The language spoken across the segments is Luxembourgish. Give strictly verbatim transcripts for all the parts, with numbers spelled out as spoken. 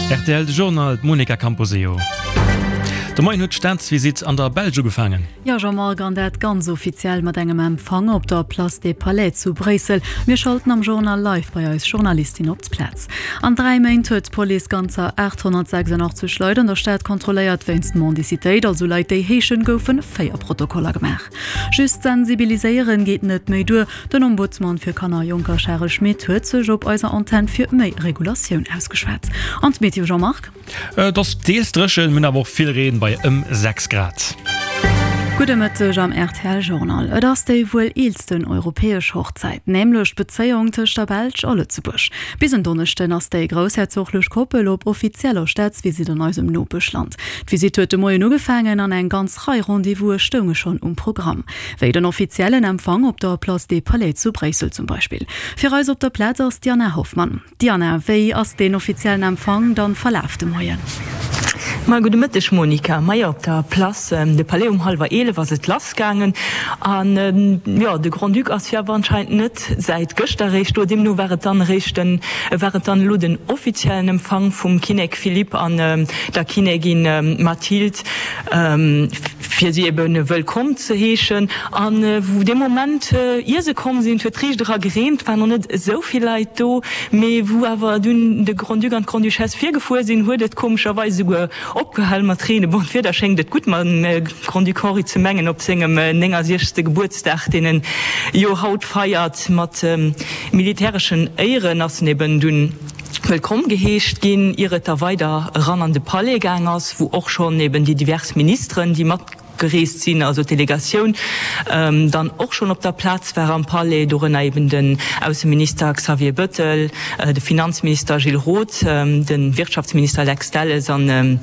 Rtl de Journal, d'Monica Camposeo. De Moien huet d'Staatsvisitt an der Belsch ugefaangen. Jo Jean-Marc, an dat ganz offiziell mat engem Empfang op der Place des Palais zu Bréissel. Mir schalten am Journal live bei eis Journalistin op d'Plaz. An dräi Méint huet d'Police ganzer aathonnertsechsundachtzeg Leit an der Stad kontrolléiert wéinst Mendicitéit, also Leit déi heeschen, goufen véier Protokoller gemaach. Just sensibiliséieren geet net méi duer. Den Ombudsman fir Kanner a Jonker Charel Schmit huet sech op eiser Antenn fir méi Regulatioun ausgeschwat. An d'Meteo Jean-Marc? Et ass deels dréchen, mir hunn awer och vill Reen bei ëm sechs Grad. Gudde Mëtteg am rtl Journal. Et ass déi wuel eelsten europäesch Hochzäit, nämlech d'Bezéiung tëscht der Belsch a Lëtzebuerg. Bis en Donneschden ass déi groussherzoglech Koppel op offizieller Staatsvisitt an eisem Nopeschland. D'Visitt huet de Moien ugefaangen an eng ganz Rei Rendez-vouse stounge schonn um Programm. Wéi den offiziellen Empfang op der Place des Palais zu Bréissel zum Beispill. Fir eis op der Plaz ass d'Diana Hoffmann. Diana, wéi ass deen offiziellen Empfang dann verlaf de Moien? Ma gudde Mëtteg Monica. Majo, op der Place de Palais um hallwer eelef ass et lass gaangen. An jo, de Grand-Duc ass jo awer anscheinend net säit gëschter eréischt do. Deemno war et dann eréischt den, war et dann elo den offiziellen Empfang vum Kinnek Philippe an der Kinnegin Mathilde, fir si ebe wëllkomm ze heeschen. An wou dee Moment, ier se komm sinn, et huet riicht era gereent, waren och net esou vill Leit do, mee wou awer dunn de Grand-Duc an d'Grande-Duchesse virgefuer sinn, huet et komescherweis esouguer opgehal mat reenen. Bon, d'Wieder schéngt et gutt mam Grand-Duc Henri ze mengen op sengem néngasiechste Gebuertsdag, deen en jo haut feiert. Mat militäreschen Éieren ass en eben dunn wëllkomm geheescht ginn, ier et da weider eran an de Palais gaang ass, wou och schonn eben déi divers Ministeren, déi matgereest sinn, also d'Delegatioun, dann och schonn op der Plaz war am Palais, dorënner eben den Ausseminister Xavier Bëttel, de Finanzminister Gilles Roth, de Wirtschaftsminister Lex Delles an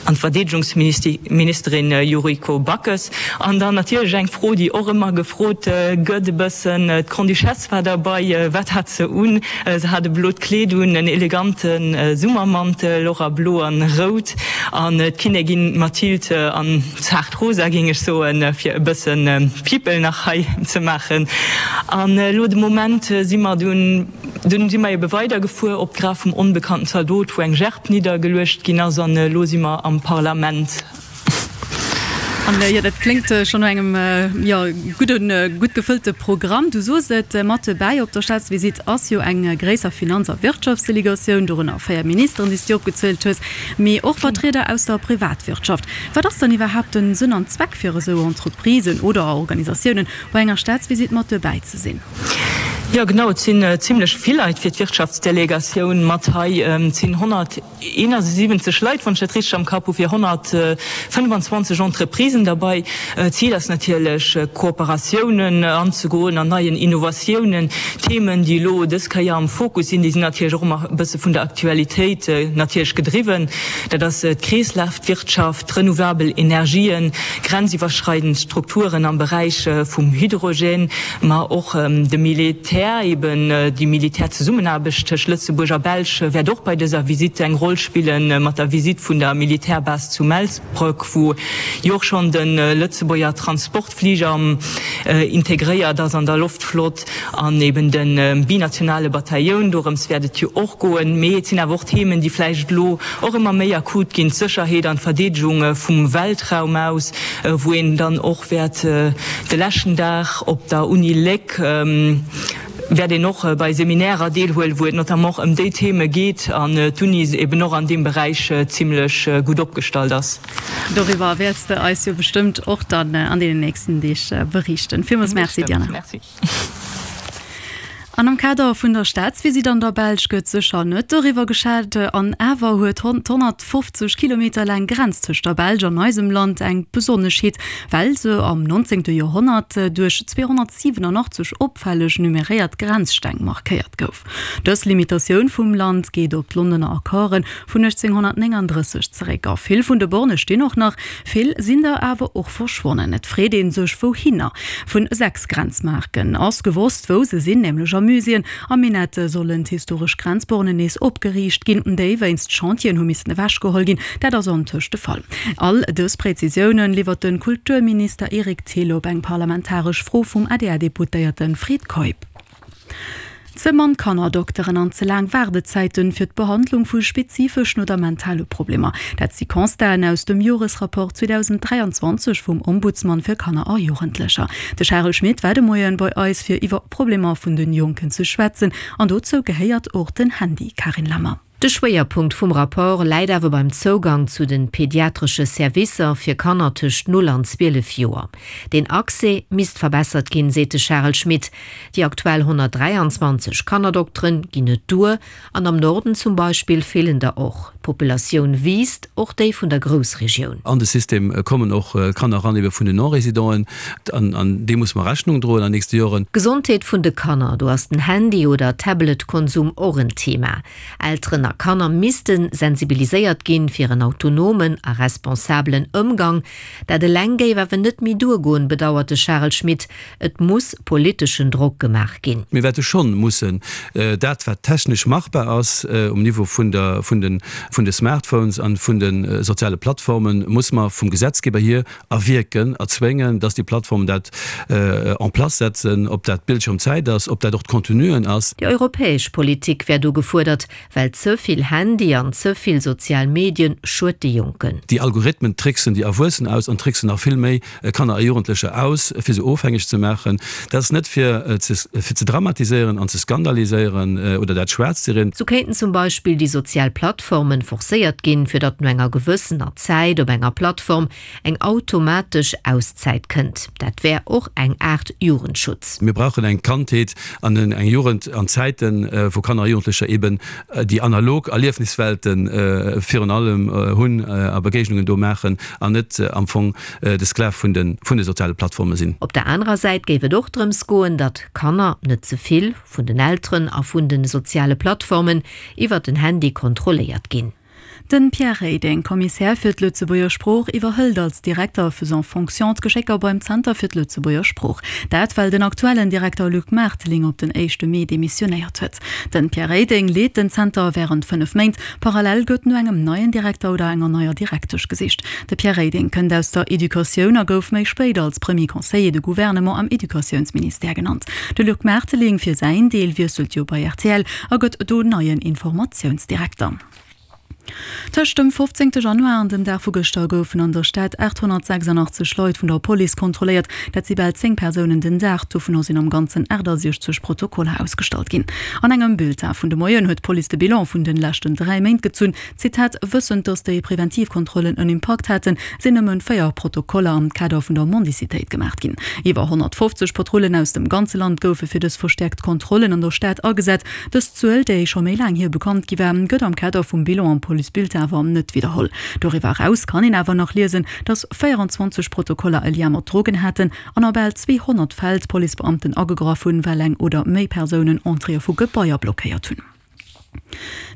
d'Verdeedegungsministerin Yuriko Backes. An dann natierlech eng Fro, déi och ëmmer gefrot gëtt e bëssen, d'Grande-Duchesse war derbei, wat hat se un? Se hat e blot Kleed un, en elegante Summermantel, och a blo an rout, an d'Kinnegin Mathilde an zaart rosa, géing ech soen, fir e bësse People nach hei ze maachen. An elo de Moment si mer dunn, dunn si mer ebe weidergefuer op d'Graf vum onbekannten Zaldot, wou eng Gerb niddergeluecht ginn ass, an elo si mer am Parlament. An jo, dat kléngt schonn no engem, jo, gudden, gutt gefëllte Programm. Du soos et, mat dobäi op der Staatsvisitt ass jo eng gréisser Finanz a Wirtschaftsdelegatioun, dorënner véier Ministeren, déi s du opgezielt hues, mee och Vertrieder aus der Privatwirtschaft. Wat ass dann iwwerhaapt den Sënn an Zweck fir esou Entreprisen oder Organisatiounen bei enger Staatsvisitt mat dobäi ze sinn? Jo, genau, et sinn zimlech vill Leit fir d'Wirtschaftsdelegatioun mat hei. Et sinn honnerteenasiwwenzeg Leit, wann ech dat richteg am Kapp hu, fir honnertfënnefanzwanzeg Entreprisen derbei. D'Zil ass natierlech, Kooperatiounen anzegoen an neien Innovatiounen. Themen, déi elo dës Kéier am Fokus sinn, déi sinn natierlech och ëmmer e bësse vun der Aktualitéit natierlech gedriwwen, dat ass d'Kreeslafwirtschaft, d'renouvelabel Energien, grenziwwerschreidend Strukturen am Beräich vum Hydrogène, ma och de Militär, eben déi Militärzesummenaarbecht tëscht Lëtzebuerg a Belsch wäert och bei dëser Visitt eng Roll spillen, mat der Visitt vun der Militärbase zu Melsbroek, wou jo och schonn de Lëtzebuerger Transportfliger integréiert ass an der Loftflott, an eben de binationale Batailloun, dorëms wäert et jo och goen. Mee et sinn awer och Themen, déi vläicht elo och ëmmer méi akut ginn, d'Sécherheet an d'Verdeedegung vum Weltraum aus, wou een dann och wäert de leschten Dag op der Uni Léck wäert een och bei Seminärer deelhuelen, wou et notamment och ëm déi Theme geet an d'Uni eben och an deem Beräich zimlech gutt opgestallt ass. Doriwwer wäerts de eis jo bestëmmt och dann an deenen nächsten Deeg beriichten. Villmools Merci, Diana. Merci. An am Kader vun der Staatsvisitt an der Belsch gëtt sécher net doriwwer geschat. An awer huet d'honnertfofzeg Kilometer laang Grenz tëscht der Belsch an eisem Land eng Besonneschheet, well se am nonzéngte Joerhonnert duerch zweehonnertsiwenanachtzeg opfälleg numeréiert Grenzsteng markéiert gouf. Dës Limitatioun vum Land geet op d'Londoner Accorden vun uechtzénghonnertnénganddrësseg zeréck. A vill vun de Borne stinn och nach, vill sinn der awer och verschwonnen. Et freet ee sech wouhinner. Vun sechs Grenzmarken ass gewosst wou se sinn, nämlech a Muséeën. Am Minett sollen d'historesch Grenzbornen nees opgeriicht ginn, déi wéinst Chantieren hu missen ewechgeholl ginn. Dat ass antëscht de Fall. All dës Prezisiounen liwwert de Kulturminister Eric Thill op eng parlamentaresch Fro vum A D R-Deputéierte Fred Keup. Ze mann Kannerdokteren an ze laang Waardezäiten fir d'Behandlung vu spezifeschen oder mentale Problemer, dat si Constaten aus dem Joresrapport zweedausenddräianzwanzeg vum Ombudsman fir Kanner a Jugendlecher. De Charel Schmit war de Moien bei eis fir iwwer Problemer vun den Jonken ze schwätzen an dozou gehéiert och den Handy, Carine Lammer. De Schwéierpunkt vum Rapport läit awer beim Zougang zu den pediatresche Servicer fir Kanner tëscht null an zwielef Joer. Den Accès misst verbessert ginn, seet de Charel Schmit. Déi aktuell honnertdräianzwanzeg Kannerdokteren ginn net duer an am Norden zum Beispill feelen der och. D'Populatioun wiisst, och déi vun der Groussregioun. An de System kommen och Kanner eran ebe vun den Non-Résidenten an an deem muss mer Rechnung droen an nächste Joren. D'Gesondheet vun de Kanner, do ass den Handy oder Tablet-Konsum och en Thema. Elteren a Kanner misste sensibiliséiert ginn, fir en autonomen a responsabelen Ëmgang. Dat eleng géif awer net méi duergoen, bedauert de Charel Schmit. Et muss politeschen Drock gemaach ginn. Mir wäerte schonn mussen dat, wat technesch machbar ass um Niveau vun der, vun den, vun de Smartphones an vun de soziale Plattformen, muss mer vum Gesetzgeber hier erwierken, erzwéngen, dass déi Plattformen dat en place setzen, ob dat d'Bildschirmzäit ass, ob dat och d'Contenuen ass. Déi europäesch Politik wär do gefuerdert, well ze vill Handy an ze vill sozial Medien schued de Jonken. Déi Algorithmen tricksen déi Erwuessen aus an tricksen nach vill méi Kanner a Jugendlecher aus, fir se ofhängeg ze maachen. Dat ass net fir ze dramatiséieren an ze skandaliséieren oder dat schwaarz ze rieden. Sou kéinten zum Beispill déi sozial Plattformen forcéiert ginn, fir datt no enger gewëssener Zäit op enger Plattform eng automatesch Auszäit kënnt. Dat wär och eng Aart Jugendschutz. Mir brauchen eng Kandheet an eng Jugend an Zäiten, wou Kanner a Jugendlecher eben déi analog Erliefniswelten virun allem hunn a Begéignungen do maachen an net am Fong de Sklav vun de soziale Plattforme sinn. Op der anerer Säit géif et och drëms goen, datt Kanner net ze vill vun den Elteren a vun de soziale Plattformen iwwert den Handy kontrolléiert ginn. Den Pierre Reding, Kommissär fir d'Lëtzebuerger Sprooch, iwwerhëlt als Direkter faisant fonction d'Geschécker beim Zenter fir d'Lëtzebuerger Sprooch. Dat well den aktuellen Direkter Luc Maerteling op den éischte Mee demissionéiert huet. Den Pierre Reding leet den Zenter wärend fënnef Méint. Parallel gëtt no engem neien Direkter oder enger neier Direktesch gesicht. De Pierre Reding kënnt aus der Educatioun a gouf méi spéit als Premier Conseiller de Gouvernement am Educatiounsministère genannt. De Luc Maerteling fir säin Deel wiesselt jo bei rtl a gëtt do neien Informatiounsdirekter. Tëscht dem fofzéngte Januar an dem Dag vu gëschter goufen an der Stad aathonnertsechsandachtzeg Leit vun der Police kontrolléiert. Dat si bal zéng Persounen den Dag. Dovunner sinn am Ganzen achtasiechzeg Protokoller ausgestallt ginn. An engem Bulletin vun de Moien huet d'Police de Bilan vun den leschten dräi Méint gezunn. Zitat, Wëssend, datt déi preventiv Kontrollen en Impakt haten, sinn nëmmen véier Protokoller am Kader vun der Mendicitéit gemaach ginn. Iwwer honnertfofzeg Patrullen aus dem ganze Land goufe fir dës verstäerkt Kontrollen an der Stad agesat. Dës Zuel, déi scho méi laang hier bekannt gi war, gëtt am Kader vum Bilan am Policebulletin awer net widderholl. Doriwwer eraus kann een awer nach liesen, datt véierundzwanzeg Protokoller e Lien mat Drogen haten an a bal zweehonnert Fäll d'Policebeamten agegraff hunn, well eng oder méi Persounen Entréeë vu Gebaier blockéiert hunn.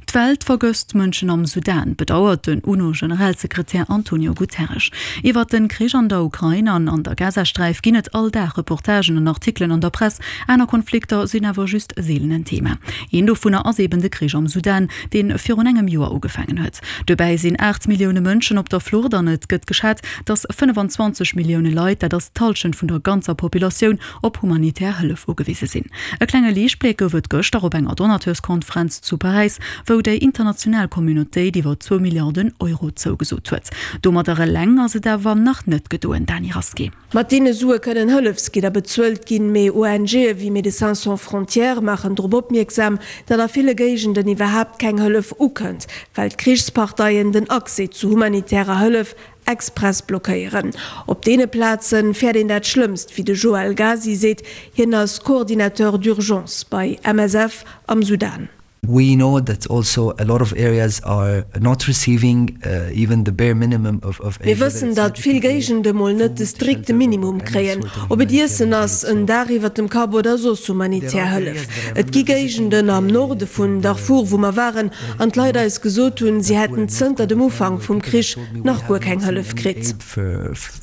D'Welt vergësst d'Mënschen am Sudan, bedauert den UNO-Generalsekretär Antonio Guterres. Iwwert de Krich an der Ukrain an an der Gazasträif ginn et all Dag Reportagen an Artikelen an der Press. Aner Konflikter sinn awer just seelen en Thema. Een dovunner ass eben de Krich am Sudan, dee virun engem Joer ugefaangen huet. Dobäi sinn aacht Millioune Mënschen op der Flucht an et gëtt geschat, datt fënnefenzwanzeg Millioune Leit, dat ass d'Hallschent vun der ganzer Populatioun, op humanitär Hëllef ugewise sinn. E klenge Liichtbléck gouf et gëschter op enger Donateurskonferenz zu Paräis, wou déi international Communautéit iwwer zwou Milliarden Euro zougesot huet. Domadder eleng ass et awer nach net gedoen, Dany Rasqué. Mat deene Sue kënnen Hëllefsgidder bezuelt ginn, mee ONGe wéi Médecins Sans Frontières maachen drop opmierksam, datt a ville Géigenden iwwerhaapt keng Hëllef ukënnt, well d'Krichsparteien den Accès zu humanitärer Hëllef express blockéieren. Op deene Plaze fäert een dat Schlëmmst, wéi de Joël Ghazi seet. Hien ass Coordinateur d'urgence bei M S F am Sudan. We know that also a lot of areas are not receiving even the bare minimum of of Mir wëssen, datt vill Géigende mol net de strikte Minimum kréien, ob et Iessen ass, en Daach iwwert dem Kapp oder soss humanitär Hëllef. Et gi Géigenden am Norde vun Darfur, wou mer waren an d'Leit eis gesot hunn, si hätten zënter dem Ufank vum Krich nach guer keng Hëllef kritt.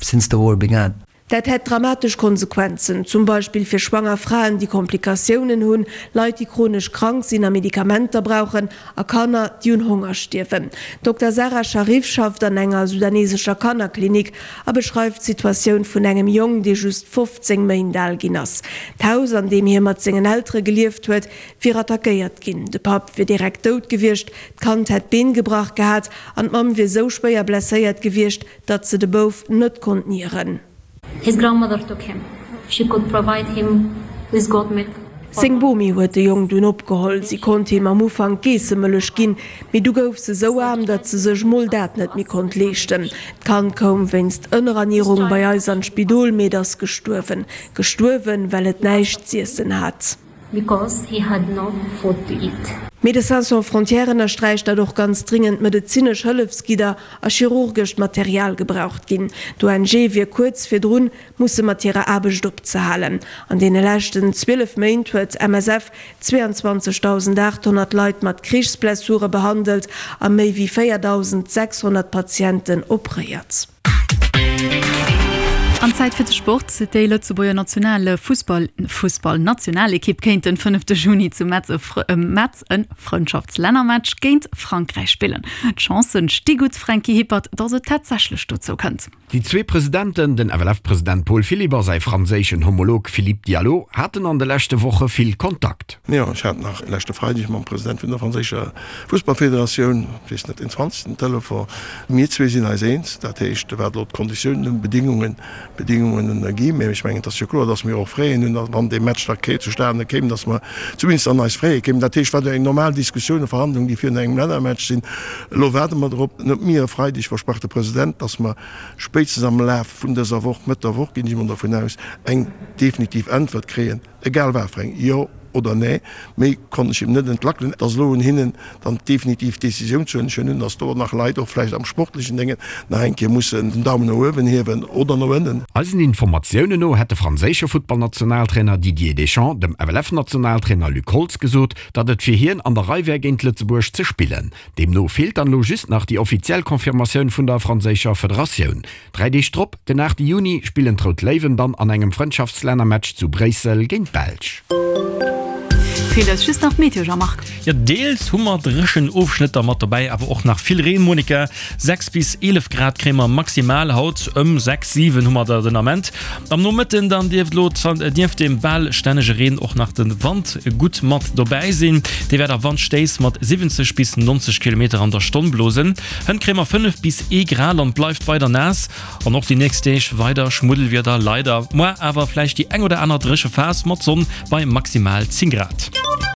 Since the war began. Dat hätt dramatesch Konsequenzen, zum Beispill fir schwanger Fraen, déi Komplikatiounen hunn, Leit, déi chronesch krank sinn a Medikamenter brauchen, a Kanner, déi un Honger stierwen. D'Dokter Sara Sharif schafft an enger sudanesescher Kannerklinik a beschreift d'Situatioun vun engem Jong, dee just fofzéng Méint al ginn ass. D'Haus, an deem hie mat sengen Eltere gelieft huet, wier attackéiert ginn. De Papp wier direkt dout gewiescht, d'Kand hätt d'Been gebrach gehat an d'Mamm wier sou schwéier blesséiert gewiescht, datt se de Bouf net konnt nieren. His grandmother took him. She could provide him with goat milk. Seng Bomi huet de Jong dunn opgeholl. Si konnt him am Ufank Geessemëllech ginn, mee du gouf se sou aarm, datt se sech mol dat net méi konnt leeschten. D'Kand koum wéinst Ënnerernierung bei eis an d'Spidol, mee et ass gestuerwen. Gestuerwen, well et näischt z'iessen hat. Because he had no food to eat. Médecins Sans Frontières ënnersträicht, datt och ganz dringend medezinesch Hëllefsgidder a chirurgescht Material gebraucht ginn. D'O N G wier kuerz virdrun, musse mat hirer Aarbecht opzehalen. An deene leschten zwielef Méint huet M S F zweeanzwanzegdausendaathonnert Leit mat Krichsblessure behandelt a méi wéi véierdausendséchshonnert Patienten operéiert. An Zäit fir de Sport, Déi Lëtzebuerger Nationale Fussball Fussballnationalekipp kéint den fënnefte Juni zu Metz e Metz e Frëndschaftslännermatch géint Frankräich spillen. D'Chancen sti gutt, Franky Hippert, datt et tatsächlech dozou kënnt. Déi zwee Presidenten, den F L F-President Paul Philipp a säi franséischen Homolog Philippe Diallo, haten an de leschte Woche vill Kontakt. Jo, ech hat nach leschte Freideg mam President vun der franséischer Fussballfederatioun, ech weess net, den zwanzegsten Telefon. Mir zwee sinn eis eens, dat heescht, wat elo d'Konditiounen, d'Bedingungen, Bedingungen gi. Mä ech mengen, et ass jo kloer, datt mir och Fräen hunn, wann dee Match da zustane kéim, datt mer zumindest an eis Fräe kéimen. Dat heescht, wat eng normal Diskussioun a Verhandlung, déi virun engem Lännermatch sinn. Elo waarde mer drop. En huet mir e Freideg versprach, de President, datt mer spéitstens am Laf vun dëser Woch, Mëtt der Woch ginn ech emol dervun aus, eng definitiv Äntwert kréien, egal wat fir eng, Jo oder Nee. Méi konnt ech him net entlackelen. Et ass elo un hinnen, dann d'definitiv Decisioun ze huelen. Ech huelen un, datt do nach Leit, och vläicht am sportlechen Déngen, nach eng Kéier mussen den Daumen no uewen hiewen oder no ënnen. Eisen Informatiounen no hätt de franséische Futtballnationaltrainer Didier Deschamps dem F L F-Nationaltrainer Luc Holtz gesot, datt et fir hien an der Rei wär géint Lëtzebuerg ze spillen. Deemno feelt dann elo just nach déi offiziell Confirmatioun vun der franséischer Federatioun. Dräi Deeg drop, den aachte Juni, spillen d'Rout Léiwen dann an engem Frëndschaftslännermatch zu Bréissel géint d'Belsch. Feelt eis just nach d'Meteo, Jean-Marc. Jo, deels hu mer dréchen Ofschnëtter mat dobäi, awer och nach vill Reen, Monica. Sechs bis eelef Grad kréie mer maximal haut, ëm sechs, siwen hu mer der den Ament. Am Nomëtten dann dierft elo nieft dem bal stännege Reen och nach de Wand gutt mat dobäi sinn. Dee wäert a Wandstéiss mat siwwenzeg bis neunzeg Kilometer an der Stonn blosen. Hënt kréie mer fënnef bis ee Grad an et bleift weider naass. An och déi nächst Deeg weider Schmuddelwieder leider. Moar awer vläicht déi eng oder aner dréche Phas mat Sonn bei maximal zéng Grad.